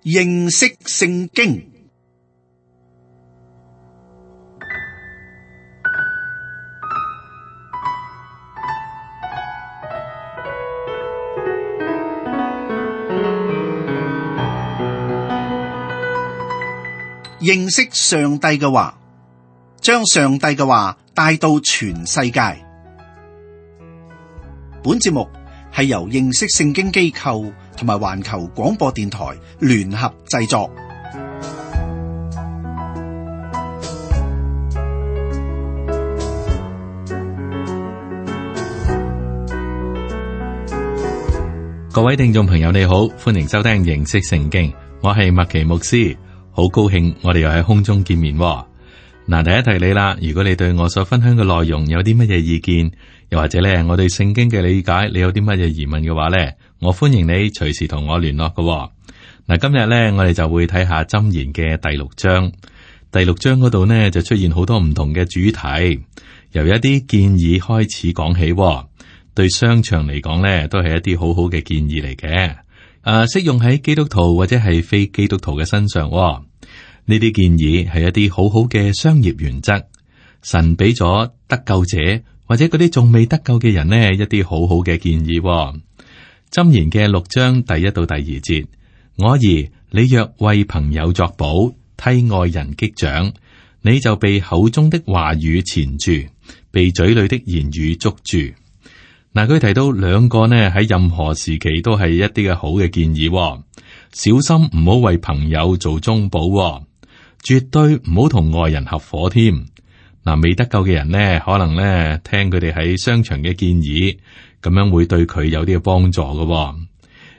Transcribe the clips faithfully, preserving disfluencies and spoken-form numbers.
認識聖經。認識上帝嘅話，將上帝嘅話帶到全世界。本節目係由認識聖經機構同埋環球廣播電台聯合製作。各位聽眾朋友你好，歡迎收聽認識聖經，我係麥奇牧師，好高興我哋又喺空中見面。嗱，第一提你啦，如果你對我所分享嘅內容有啲乜嘢意見，又或者咧我對聖經嘅理解，你有啲乜嘢疑問嘅話咧，我歡迎你隨時同我聯絡嘅。嗱，今日咧我哋就會睇下箴言嘅第六章，第六章嗰度呢，就出現好多唔同嘅主題，由一啲建議開始講起，對商場嚟講咧都係一啲好好嘅建議嚟嘅，誒，適用喺基督徒或者係非基督徒嘅身上。呢啲建議係一啲好好嘅商業原則，神俾咗得救者或者嗰啲仲未得救嘅人呢一啲好好嘅建議。箴言嘅六章第一到第二節，我兒，你若為朋友作保，替外人擊掌，你就被口中的話語纏住，被嘴裏的言語捉住。嗱，佢提到兩個呢喺任何時期都係一啲嘅好嘅建議，小心唔好為朋友做中保，絕對唔好同外人合夥添。嗱，未得救嘅人呢，可能呢聽佢哋喺商場嘅建議，咁樣會對佢有啲嘅幫助嘅。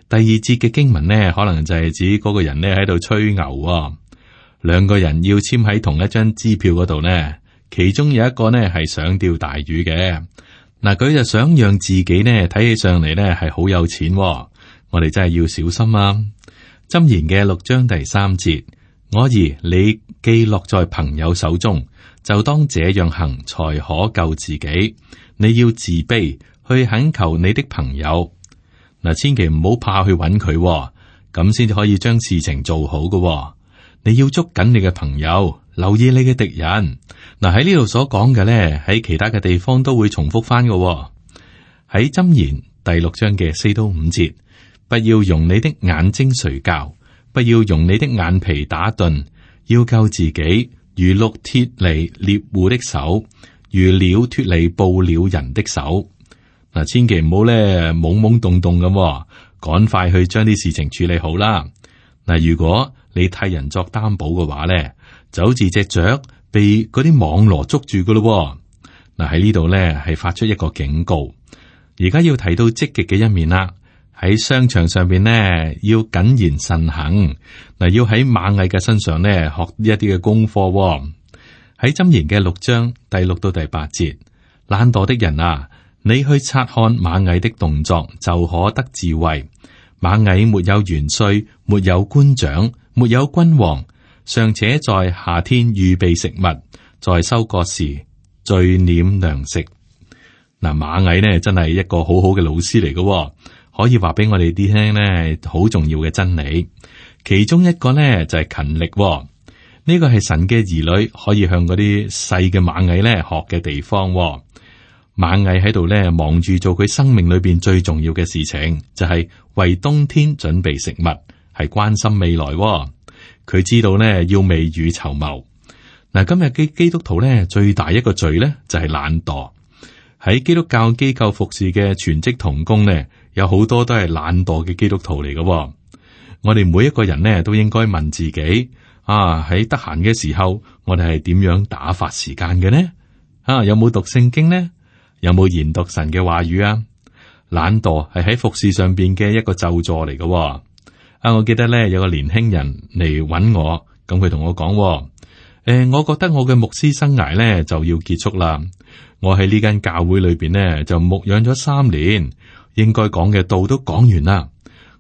第二節嘅經文呢，可能就係指嗰個人呢喺度吹牛，兩個人要簽喺同一張支票嗰度呢，其中有一個呢係想釣大魚嘅，嗱，佢就想讓自己呢睇起上嚟呢係好有錢，我哋真係要小心啊！箴言嘅六章第三節，我兒，你既落在朋友手中，就當這樣行，才可救自己。你要自卑，去懇求你的朋友。嗱，千祈唔好怕去揾佢，咁先至可以將事情做好嘅。你要捉緊你嘅朋友，留意你嘅敵人。嗱，喺呢度所講嘅咧，喺其他嘅地方都會重複翻嘅。喺箴言第六章嘅四到五節，不要用你的眼睛睡覺，不要用你的眼皮打盹，要救自己，如鹿脫離獵戶的手，如鳥脫離捕鳥人的手。嗱，千祈唔好咧懵懵懂懂咁，趕快去將啲事情處理好啦。嗱，如果你替人作擔保嘅話咧，就好似隻雀被嗰啲網羅捉住噶咯。嗱，喺呢度咧係發出一個警告，而家要提到積極嘅一面啦。喺商場上邊呢，要謹言慎行。嗱，要喺螞蟻嘅身上呢學一啲嘅功課。喺箴言嘅六章第六到第八節，懶惰的人啊，你去察看螞蟻的動作，就可得智慧。螞蟻沒有元帥，沒有官長，沒有君王，尚且在夏天預備食物，在收割時聚斂糧食。嗱，螞蟻呢真係一個好好嘅老師嚟嘅。可以話俾我哋啲聽呢，好重要嘅真理。其中一個呢就係勤力，呢個係神嘅兒女可以向嗰啲細嘅螞蟻呢學嘅地方。螞蟻喺度呢忙住做佢生命裏邊最重要嘅事情，就係為冬天準備食物，係關心未來。佢知道呢要未雨綢繆。嗱，今日嘅基督徒呢，最大一個罪呢就係懶惰。喺基督教機構服侍嘅全職同工呢，有好多都係懶惰嘅基督徒嚟嘅。我哋每一個人呢，都應該問自己：啊，喺得閒嘅時候，我哋係點樣打發時間嘅呢？啊，有冇讀聖經呢？有冇研讀神嘅話語啊？懶惰係喺服侍上邊嘅一個咒詛嚟嘅。啊，我記得咧有個年輕人嚟揾我，咁佢同我講：誒、呃，我覺得我嘅牧師生涯咧就要結束啦。我喺呢間教會裏邊呢，就牧養咗三年。應該講嘅道都講完啦，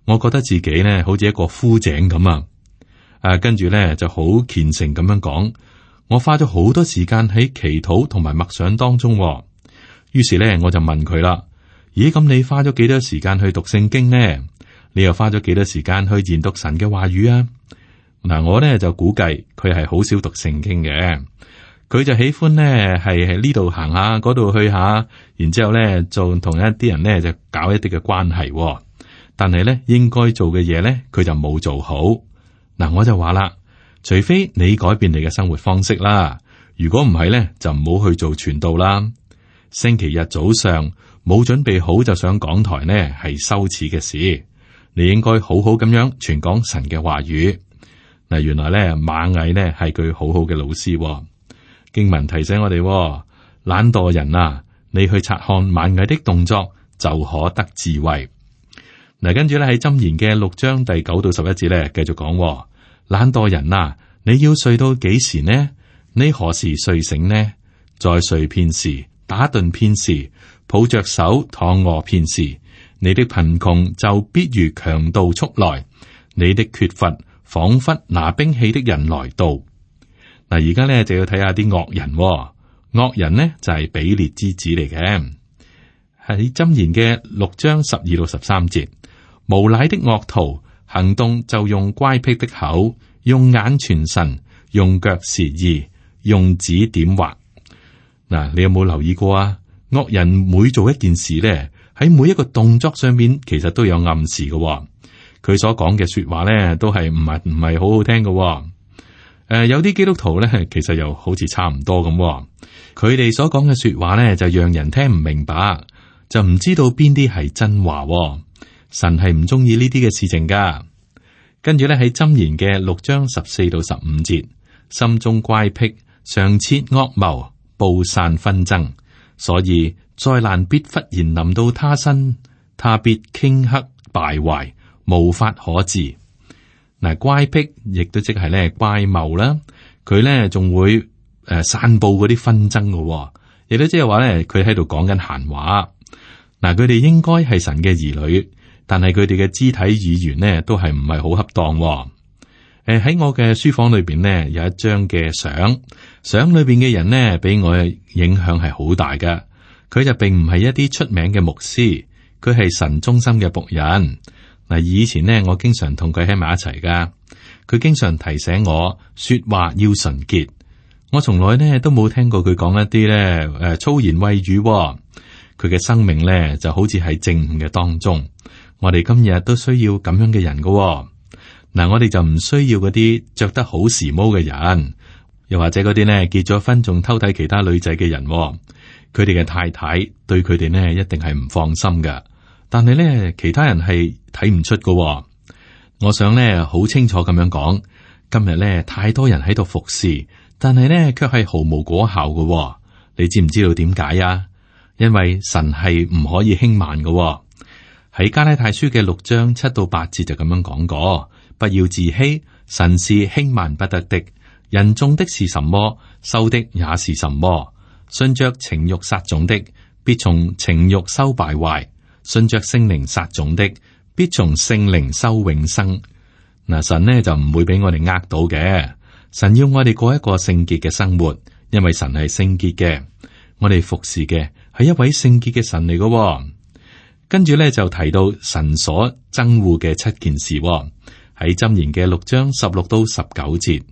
我覺得自己咧好似一個枯井咁啊！啊，跟住咧就好虔誠咁樣講，我花咗好多時間喺祈禱同埋默想當中。於是咧我就問佢啦：咦，咁你花咗幾多時間去讀聖經呢？你又花咗幾多時間去研讀神嘅話語啊？嗱，我咧就估計佢係好少讀聖經嘅，佢就喜歡咧係喺呢度行下，嗰度去下，然之後咧就同一啲人咧就搞一啲嘅關係。但係咧應該做嘅嘢咧，佢就冇做好。嗱，我就話啦，除非你改變你嘅生活方式啦，如果唔係咧，就唔好去做傳道啦。星期日早上冇準備好就上講台呢，係羞恥嘅事。你應該好好咁樣傳講神嘅話語。嗱，原來咧螞蟻呢係佢好好嘅老師。經文提醒我哋，懶惰人啊，你去察看螞蟻的動作，就可得智慧。嗱，跟住咧喺箴言嘅六章第九到十一節咧，繼續講，懶惰人啊，你要睡到幾時呢？你何時睡醒呢？再睡片時，打盹片時，抱着手躺臥片時，你的貧窮就必如強盜速來，你的缺乏仿佛拿兵器的人來到。嗱，而家咧就要睇下啲惡人，惡人呢就係比列之子嚟嘅，喺箴言嘅六章十二到十三節。無賴的惡徒行動就用乖僻的口，用眼傳神，用腳示意，用指點畫。嗱，你有冇留意過啊？惡人每做一件事咧，喺每一個動作上面，其實都有暗示嘅。佢所講嘅說話咧，都係唔係唔係好好聽嘅。誒、呃，有啲基督徒咧，其實又好似差唔多咁。佢哋所講嘅說話咧，就讓人聽唔明白，就唔知道邊啲係真話。神係唔中意呢啲嘅事情噶。跟住咧喺箴言嘅六章十四到十五節，心中乖僻，常設惡謀，布散紛爭，所以災難必忽然臨到他身，他必頃刻敗壞，無法可治。嗱，乖僻亦都即係咧乖謬啦，佢咧仲會誒、呃、散布嗰啲紛爭嘅，亦都即係話咧佢喺度講緊閒話。嗱，佢哋應該係神嘅兒女。但係佢哋嘅肢體語言呢，都係唔係好恰當。誒、呃，喺我嘅書房裏邊呢，有一張嘅相，相裏邊嘅人呢，俾我嘅影響係好大㗎。佢就並唔係一啲出名嘅牧師，佢係神忠心嘅僕人。嗱，以前呢，我經常同佢喺埋一齊噶，佢經常提醒我說話要純潔。我從來呢都冇聽過佢講一啲咧誒粗言穢語。佢嘅生命咧就好似喺正午嘅當中。我哋今日都需要咁樣嘅人噶、哦，嗱，我哋就唔需要嗰啲着得好時髦嘅人，又或者嗰啲呢結咗婚仲偷睇其他女仔嘅人、哦，佢哋嘅太太對佢哋呢一定係唔放心噶，但係呢其他人係睇唔出噶、哦。我想呢好清楚咁樣講，今日呢太多人喺度服侍，但係呢卻係毫無果效噶、哦。你知唔知道點解啊？因為神係唔可以輕慢噶、哦。喺加拉太書嘅六章七到八節就咁樣講過，不要自欺，神是輕慢不得的。人種的是什麼，收的也是什麼。順着情欲撒種的，必從情欲收敗壞；順着聖靈撒種的，必從聖靈收永生。嗱，神呢就唔會俾我哋呃到嘅。神要我哋過一個聖潔嘅生活，因為神係聖潔嘅。我哋服侍嘅係一位聖潔嘅神嚟嘅。跟住咧就提到神所憎惡嘅七件事喺、哦、箴言嘅六章十六到十九節，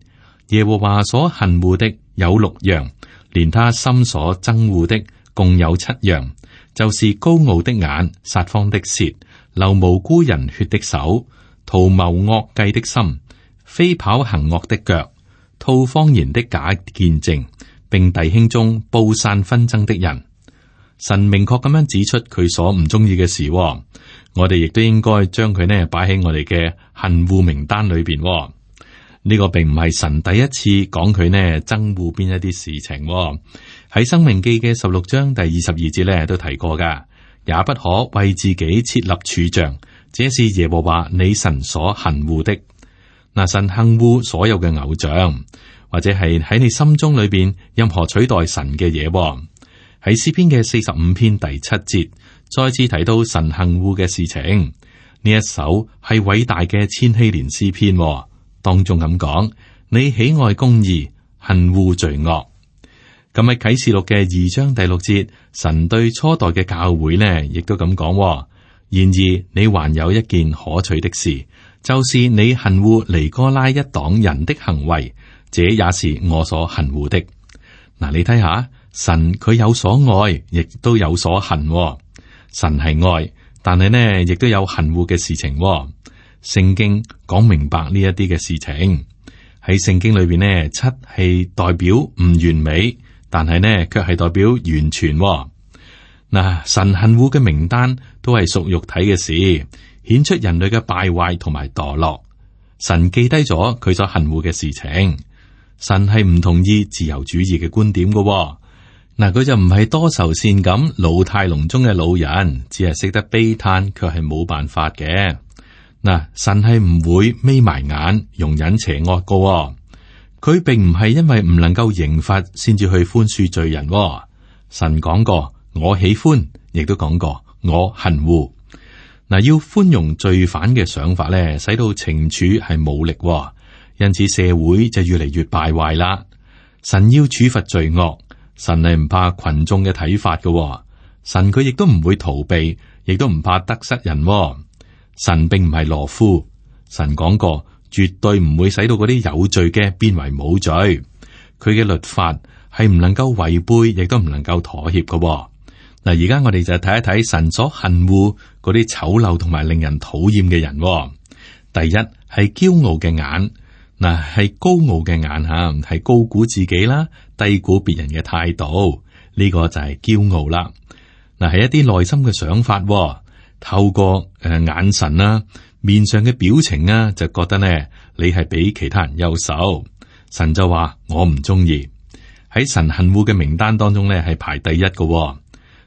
耶和華所恨惡的有六樣，連他心所憎惡的共有七樣，就是高傲的眼、撒謊的舌、流無辜人血的手、圖謀惡計的心、飛跑行惡的腳、吐謊言的假見證，並弟兄中布散紛爭的人。神明確咁樣指出佢所唔中意嘅事、哦，我哋亦都應該將佢呢擺喺我哋嘅恨惡名單裏邊、哦。呢、這個並唔係神第一次講佢呢憎惡邊一啲事情、哦。喺申命記嘅十六章第二十二節呢都提過噶，也不可為自己設立柱像，這是耶和華你神所恨惡的。嗱，神恨惡所有嘅偶像，或者係喺你心中裏邊任何取代神嘅嘢、哦。喺詩篇嘅四十五篇第七節，再次提到神恨惡嘅事情。呢一首係偉大嘅千禧年詩篇、哦，當中咁講：你喜愛公義，恨惡罪惡。咁喺啟示錄嘅二章第六節，神對初代嘅教會呢，亦都咁講、哦：然而你還有一件可取的事，就是你恨惡尼哥拉一黨人的行為，這也是我所恨惡的。嗱，你睇下，神佢有所愛，亦都有所恨。神係愛，但係呢，亦都有恨惡嘅事情。聖經講明白呢一啲嘅事情。喺聖經裏邊呢，七係代表唔完美，但係呢，卻係代表完全。嗱，神恨惡嘅名單都係屬肉體嘅事，顯出人類嘅敗壞同埋墮落。神記低咗佢所恨惡嘅事情。神係唔同意自由主義嘅觀點嘅。嗱，佢就唔係多愁善感老態龍鍾嘅老人，只係識得悲嘆，卻係冇辦法嘅。嗱，神係唔會眯埋眼容忍邪惡嘅。佢並唔係因為唔能夠刑罰先至去寬恕罪人。神講過。我喜歡，亦都講過我恨惡。嗱，要寬容罪犯嘅想法咧，使到懲處係冇力，因此社會就越嚟越敗壞啦。神要處罰罪惡，神係唔怕群眾嘅睇法嘅。神佢亦都唔會逃避，亦都唔怕得失人。神並唔係懦夫，神講過絕對唔會使到嗰啲有罪嘅變為冇罪。佢嘅律法係唔能夠違背，亦都唔能夠妥協嘅。嗱，而家我哋就睇一睇神所恨惡嗰啲醜陋同埋令人討厭嘅人。第一係驕傲嘅眼，嗱係高傲嘅眼吓，係高估自己啦，低估別人嘅態度，呢個就係驕傲啦。嗱，係一啲內心嘅想法，透過誒眼神啦、面上嘅表情啊，就覺得呢你係比其他人優秀。神就話我唔中意，喺神恨惡嘅名單當中呢係排第一嘅。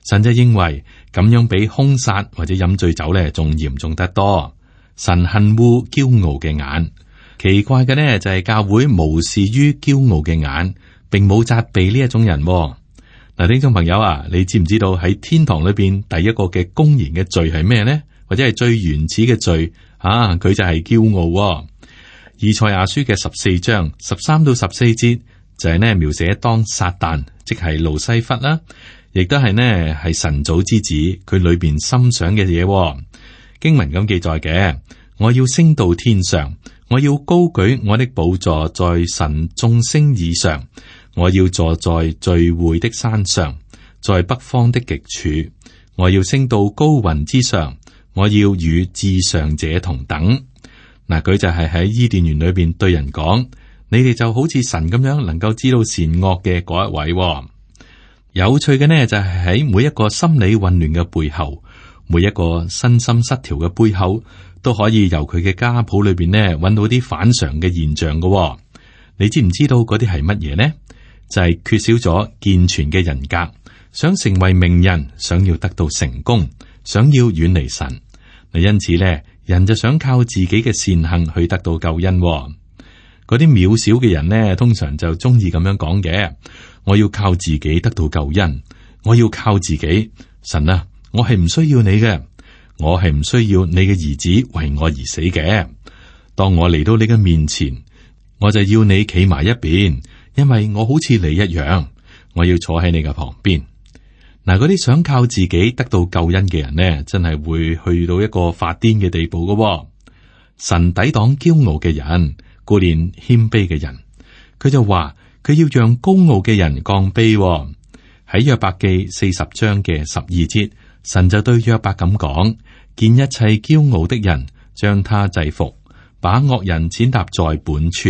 神就認為咁樣比兇殺或者飲醉酒咧仲嚴重得多。神恨惡驕傲嘅眼，奇怪嘅呢就係教會無視於驕傲嘅眼，並冇責備呢一種人。嗱，聽眾朋友啊，你知唔知道喺天堂裏邊第一個嘅公然嘅罪係咩呢？或者係最原始嘅罪啊？佢就係驕傲。以賽亞書嘅十四章十三到十四節就係呢描寫當撒旦，即係路西弗啦。亦都係呢，係神祖之子，佢裏邊心想嘅嘢。經文咁記載嘅，我要升到天上，我要高舉我的寶座在神眾星以上，我要坐在聚會的山上，在北方的極處，我要升到高雲之上，我要與至上者同等。嗱，佢就係喺伊甸園裏邊對人講，你哋就好似神咁樣，能夠知道善惡嘅嗰一位。有趣嘅呢，就係喺每一個心理混亂嘅背後，每一個身心失調嘅背後，都可以由佢嘅家譜裏邊呢揾到啲反常嘅現象嘅。你知唔知道嗰啲係乜嘢呢？就係缺少咗健全嘅人格，想成為名人，想要得到成功，想要遠離神。嗱，因此呢，人就想靠自己嘅善行去得到救恩。嗰啲渺小嘅人呢，通常就中意咁樣講嘅。我要靠自己得到救恩，我要靠自己。神啊，我係唔需要你嘅，我係唔需要你嘅兒子為我而死嘅。當我嚟到你嘅面前，我就要你企埋一邊，因為我好似你一樣，我要坐喺你嘅旁邊。嗱，嗰啲想靠自己得到救恩嘅人呢，真係會去到一個發癲嘅地步嘅。神抵擋驕傲嘅人，顧念謙卑嘅人。佢就話佢要讓高傲嘅人降卑。喺約伯記四十章嘅十二節，神就對約伯咁講：見一切驕傲的人，將他制服，把惡人踐踏在本處。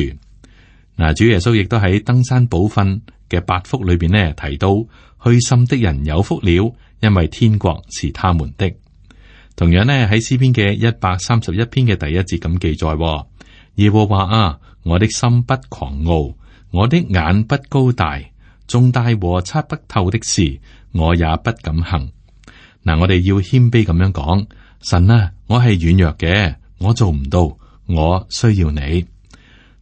嗱，主耶穌亦都喺登山寶訓嘅八福裏邊呢提到，虛心的人有福了，因為天國是他們的。同樣呢喺詩篇嘅一百三十一篇嘅第一節咁記載：耶和華啊，我的心不狂傲，我的眼不高大，重大和測不透的事，我也不敢行。嗱，我哋要謙卑咁樣講：神啊，我係軟弱嘅，我做唔到，我需要你。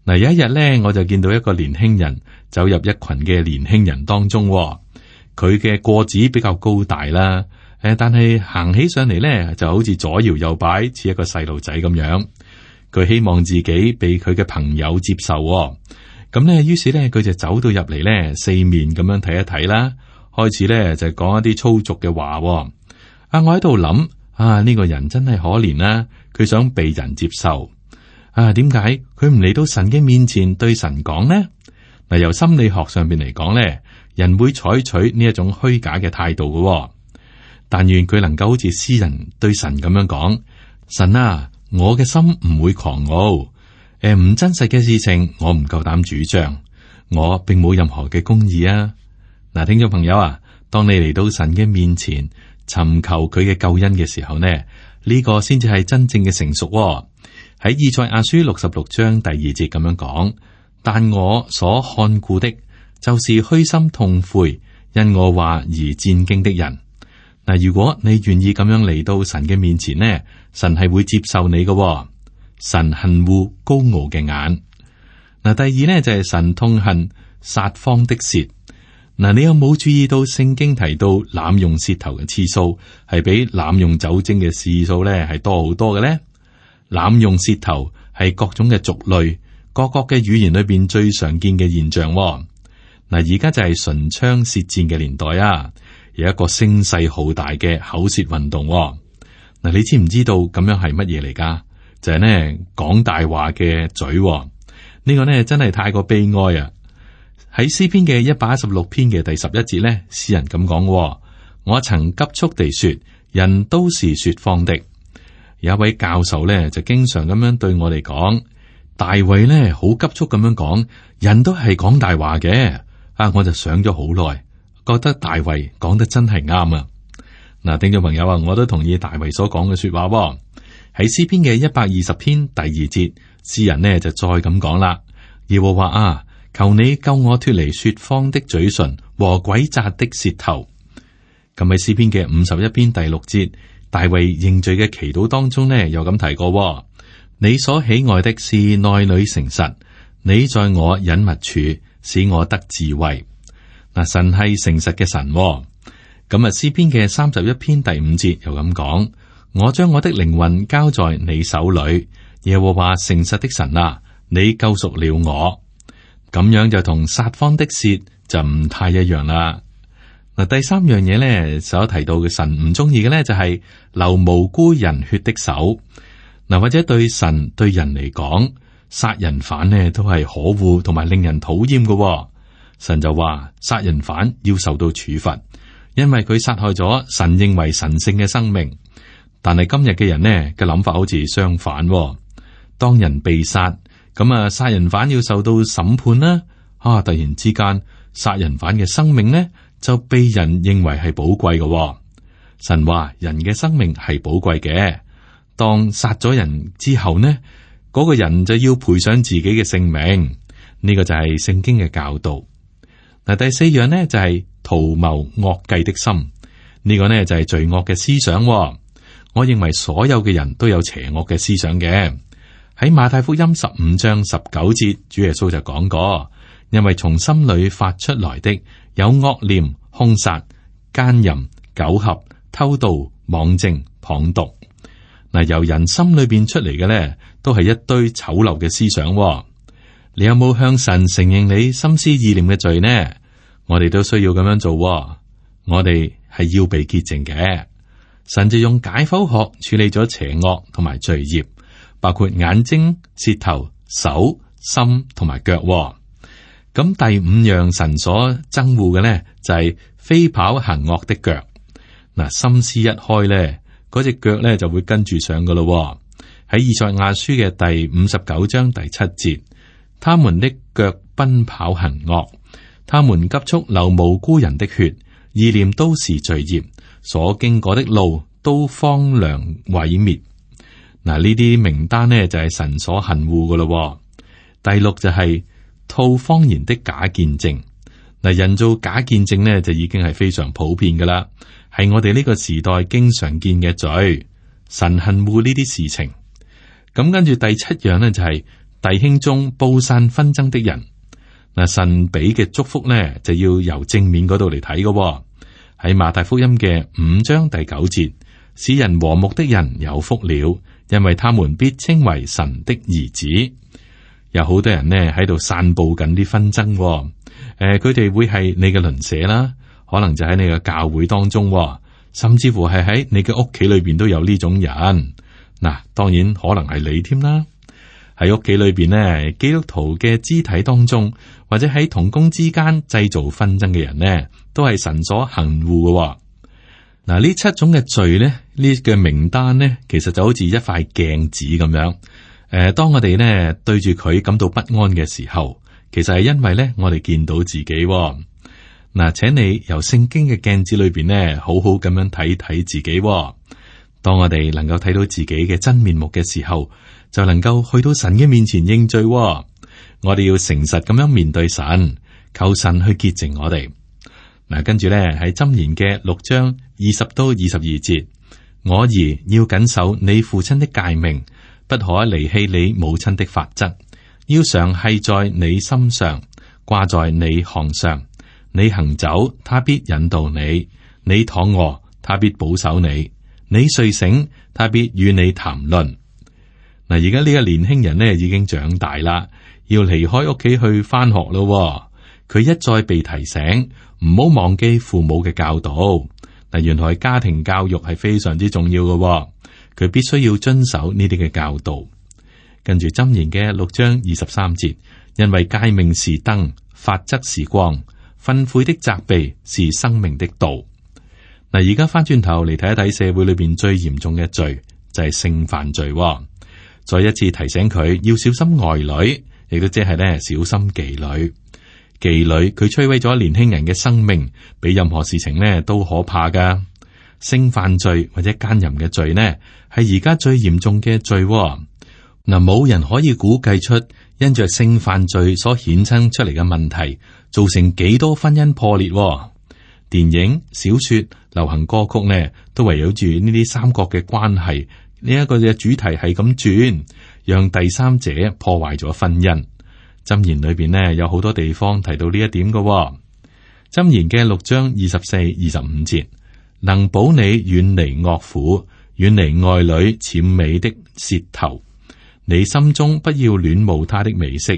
嗱，有一日咧，我就見到一個年輕人走入一群嘅年輕人當中，佢嘅個子比較高大啦，誒，但係行起上嚟咧，就好似左搖右擺，似一個細路仔咁樣。佢希望自己被佢嘅朋友接受，咁咧，於是咧，佢就走到入嚟咧，四面咁樣睇一睇啦，開始咧就講一啲粗俗嘅話。啊，我喺度諗，啊，呢個人真係可憐啦，佢想被人接受。啊，點解佢唔嚟到神嘅面前對神講呢？嗱，由心理學上邊嚟講咧，人會採取呢一種虛假嘅態度嘅。但願佢能夠好似詩人對神咁樣講：神啊，我嘅心唔會狂傲，誒，唔真實嘅事情我唔夠膽主張，我並冇任何嘅公義啊！嗱，聽眾朋友啊，當你嚟到神嘅面前尋求佢嘅救恩嘅時候呢，呢個先至係真正嘅成熟喎。喺以賽亞書六十六章第二節咁樣講：但我所看顧的，就是虛心痛悔，因我話而戰驚的人。嗱，如果你願意咁樣嚟到神嘅面前呢，神係會接受你嘅喎。神恨惡高傲嘅眼。嗱，第二呢，就係神痛恨撒謊的舌。嗱，你有冇注意到聖經提到濫用舌頭嘅次數係比濫用酒精嘅次數咧係多好多嘅咧？濫用舌頭係各種嘅族類、各國嘅語言裏邊最常見嘅現象喎。嗱，而家就係唇槍舌戰嘅年代啊！有一個聲勢浩大嘅口舌運動喎。嗱，你知唔知道咁樣係乜嘢嚟噶？就係呢講大話嘅嘴喎。呢個呢真係太過悲哀啊！喺詩篇嘅一百一十六篇嘅第十一節呢，詩人咁講：我曾急速地說，人都是說謊的。有一位教授呢，就經常咁樣對我哋講：大衛呢好急速咁樣講，人都係講大話嘅。啊，我就想咗好耐。覺得大衛講得真係啱啊！嗱，聽眾朋友啊，我都同意大衛所講嘅說話喎。喺詩篇嘅一百二十篇第二節，詩人呢就再咁講啦：耶和華啊，求你救我脫離說謊的嘴唇和詭詐的舌頭。咁喺詩篇嘅五十一篇第六節，大衛認罪嘅祈禱當中呢，又咁提過喎：你所喜愛的是內裏誠實，你在我隱密處使我得智慧。嗱，神係誠實嘅神，咁啊，詩篇嘅三十一篇第五節又咁講：我將我的靈魂交在你手裏，耶和華誠實的神啊，你救贖了我。咁樣就同撒謊的舌就唔太一樣啦。嗱，第三樣嘢咧，所提到嘅神唔中意嘅咧，就係流無辜人血的手。嗱，或者對神對人嚟講，殺人犯呢都係可惡同埋令人討厭嘅。神就話殺人犯要受到處罰，因為佢殺害咗神認為神聖嘅生命。但係今日嘅人呢嘅諗法好似相反，當人被殺，咁啊殺人犯要受到審判啦。啊，突然之間殺人犯嘅生命呢就被人認為係寶貴嘅。神話人嘅生命係寶貴嘅，當殺咗人之後呢，嗰個人就要賠上自己嘅性命。呢個就係聖經嘅教導。嗱，第四樣呢就係圖謀惡計的心，呢個呢就係罪惡嘅思想。我認為所有嘅人都有邪惡嘅思想嘅。喺馬太福音十五章十九節，主耶穌就講過：因為從心裏發出來的有惡念、兇殺、奸淫、苟合、偷盜、妄證、謗讟。嗱，由人心裏邊出嚟嘅呢，都係一堆醜陋嘅思想。你有冇向神承認你心思意念嘅罪呢？我哋都需要咁樣做。我哋係要被潔淨嘅。神就用解剖學處理咗邪惡同埋罪孽，包括眼睛、舌頭、手、心同埋腳。咁第五樣神所憎惡嘅呢，就係飛跑行惡的腳。嗱，心思一開呢，嗰隻腳呢就會跟住上噶咯。喺以賽亞書嘅第五十九章第七節。他們的腳奔跑行惡，他們急速流無辜人的血，意念都是罪孽，所經過的路都荒涼毀滅。嗱，呢啲名單呢就係神所恨惡噶咯。第六就係吐謊言的假見證。嗱，人造假見證呢就已經係非常普遍噶啦，係我哋呢個時代經常見嘅罪。神恨惡呢啲事情。咁跟住第七樣呢就係、是。弟兄中布散紛爭的人，嗱，神俾嘅祝福呢，就要由正面嗰度嚟睇嘅。喺馬太福音嘅五章第九節，使人和睦的人有福了，因為他們必稱為神的兒子。有好多人呢喺度散布緊啲紛爭，誒、呃，佢哋會係你嘅鄰舍啦，可能就喺你嘅教會當中，甚至乎係喺你嘅屋企裏邊都有呢種人。嗱，當然可能係你添啦。喺屋企裏邊呢，基督徒嘅肢體當中，或者喺同工之間製造紛爭嘅人呢，都係神所恨惡嘅。嗱，呢七種嘅罪呢，呢嘅名單呢，其實就好似一塊鏡子咁樣。誒，當我哋呢對住佢感到不安嘅時候，其實係因為呢，我哋見到自己。嗱，請你由聖經嘅鏡子裏邊呢，好好咁樣睇睇自己。當我哋能夠睇到自己嘅真面目嘅時候，就能夠去到神嘅面前認罪。我哋要誠實咁樣面對神，求神去潔淨我哋。嗱，跟住咧喺箴言嘅六章二十到二十二節，我兒要謹守你父親的誡命，不可離棄你母親的法則，要常繫在你心上，掛在你項上。你行走，他必引導你；你躺臥，他必保守你；你睡醒，他必與你談論。嗱，而家呢個年輕人呢已經長大啦，要離開屋企去翻學咯。佢一再被提醒，唔好忘記父母嘅教導。嗱，原來家庭教育係非常之重要嘅，佢必須要遵守呢啲嘅教導。跟住箴言嘅六章二十三節，因為誡命是燈，法則是光，訓誨的責備是生命的道。嗱，而家翻轉頭嚟睇一睇社會裏邊最嚴重嘅罪，就係性犯罪。再一次提醒佢要小心外女，亦都即係咧小心妓女。妓女佢摧毀咗年輕人嘅生命，比任何事情呢都可怕噶。性犯罪或者奸淫嘅罪呢，係而家最嚴重嘅罪。嗱，冇人可以估計出因着性犯罪所衍生出嚟嘅問題，造成幾多婚姻破裂。電影、小說、流行歌曲呢，都圍繞住呢啲三角嘅關係。呢一個嘅主題係咁轉，讓第三者破壞咗婚姻。箴言裏邊呢有好多地方提到呢一點嘅。箴言嘅六章二十四、二十五節，能保你遠離惡婦，遠離愛女諂媚的舌頭。你心中不要戀慕他的美色，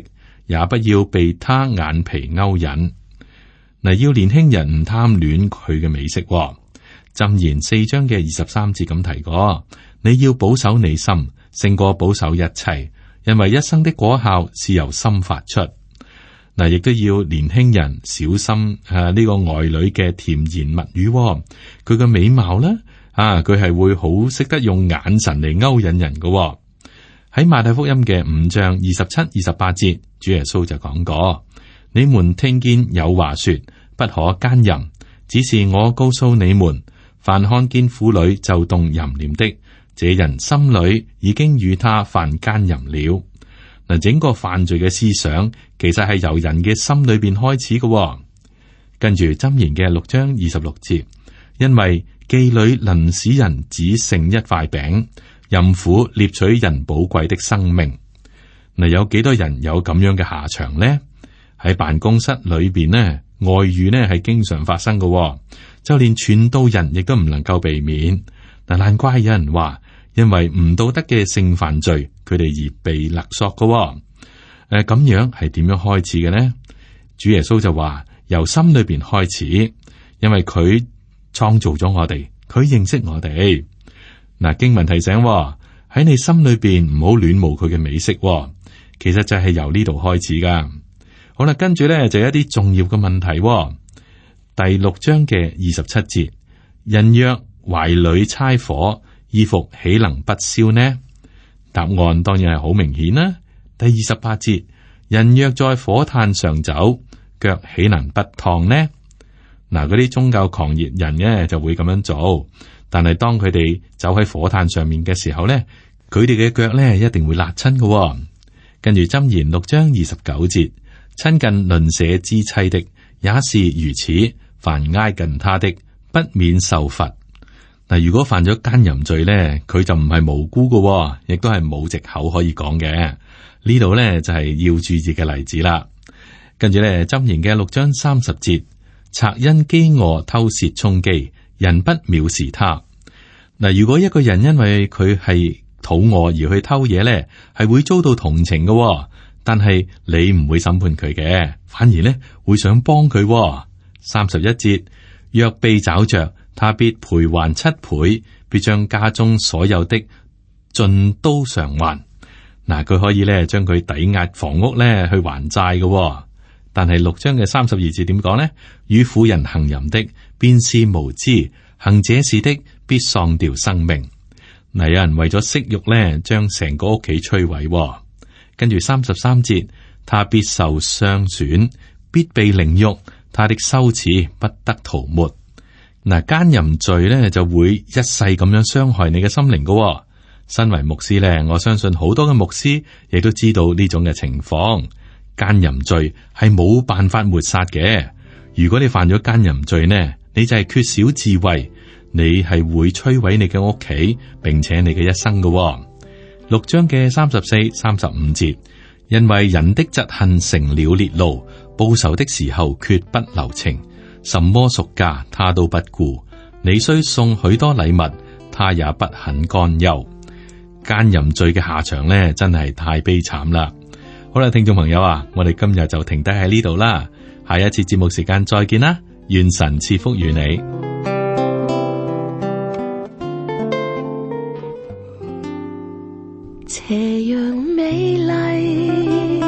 也不要被他眼皮勾引。嗱，要年輕人唔貪戀佢嘅美色。箴言四章嘅二十三節咁提過。你要保守你心，勝過保守一切，因為一生的果效是由心發出。嗱，亦都要年輕人小心啊！呢個愛女嘅甜言蜜語，佢嘅美貌咧啊，佢係會好識得用眼神嚟勾引人嘅。喺馬太福音嘅五章二十七、二十八節，主耶穌就講過：你們聽見有話說不可奸淫，只是我告訴你們，凡看見婦女就動淫念的，這人心裏已經與他犯奸淫了。嗱，整個犯罪嘅思想其實係由人嘅心裏邊開始嘅。跟住箴言嘅六章二十六節，因為妓女能使人只剩一塊餅，淫婦獵取人寶貴的生命。嗱，有幾多人有咁樣嘅下場呢？喺辦公室裏邊呢，外遇呢係經常發生嘅，就連傳道人亦都唔能夠避免。嗱，難怪有人話，因為唔道德嘅性犯罪，佢哋而被勒索嘅。誒、呃，咁樣係點樣開始嘅呢？主耶穌就話由心裏邊開始，因為佢創造咗我哋，佢認識我哋。嗱，經文提醒喺你心裏邊唔好戀慕佢嘅美色，其實就係由呢度開始噶。好啦，跟住咧就有一啲重要嘅問題。第六章嘅二十七節，人若懷裏猜火，衣服豈能不燒呢？答案當然係好明顯啦。第二十八節，人若在火炭上走，腳豈能不燙呢？嗱，嗰啲宗教狂熱人呢就會咁樣做，但係當佢哋走喺火炭上面嘅時候呢，佢哋嘅腳呢一定會辣親嘅。跟住箴言六章二十九節，親近鄰舍之妻的也是如此，凡挨近他的不免受罰。嗱，如果犯咗奸淫罪咧，佢就唔係無辜嘅，亦都係冇藉口可以講嘅。呢度咧就係要注意嘅例子啦。跟住咧，箴言嘅六章三十節，賊因飢餓偷竊充飢，人不藐視他。嗱，如果一個人因為佢係肚餓而去偷嘢咧，係會遭到同情嘅，但係你唔會審判佢嘅，反而咧會想幫佢。三十一節，若被找着，他必賠還七倍，必將家中所有的盡都償還。嗱，佢可以咧將佢抵押房屋咧去還債嘅、哦。但係六章嘅三十二節點講呢？與婦人行淫的，便是無知；行這事的，必喪掉生命。嗱，有人為咗色欲咧，將成個屋企摧毀、哦。跟住三十三節，他必受傷損，必被凌辱，他的羞恥不得塗抹。嗱，奸淫罪咧就會一世咁樣傷害你嘅心靈噶、哦。身為牧師咧，我相信好多嘅牧師亦都知道呢種嘅情況。奸淫罪係冇辦法抹殺嘅。如果你犯咗奸淫罪呢，你就係缺少智慧，你係會摧毀你嘅屋企，並且你嘅一生嘅、哦。六章嘅三十四、三十五節，因為人的嫉恨成了烈怒，報仇的時候決不留情，什麼贖價他都不顧。你雖送許多禮物，他也不肯干休。奸淫罪嘅下場呢，真係太悲慘啦。好啦，聽眾朋友啊，我哋今日就停低喺呢度啦。下一次節目時間再見啦，願神賜福與你。斜陽美麗，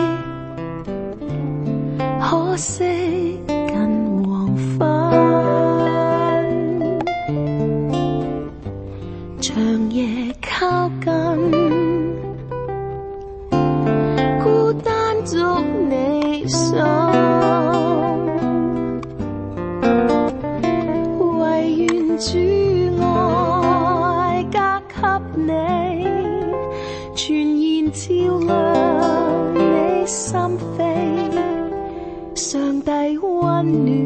可惜近黃昏，長夜靠近，孤單捉你手，唯願主愛加給你，全然照亮你心扉，上帝溫暖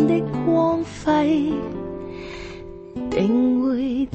的光輝定會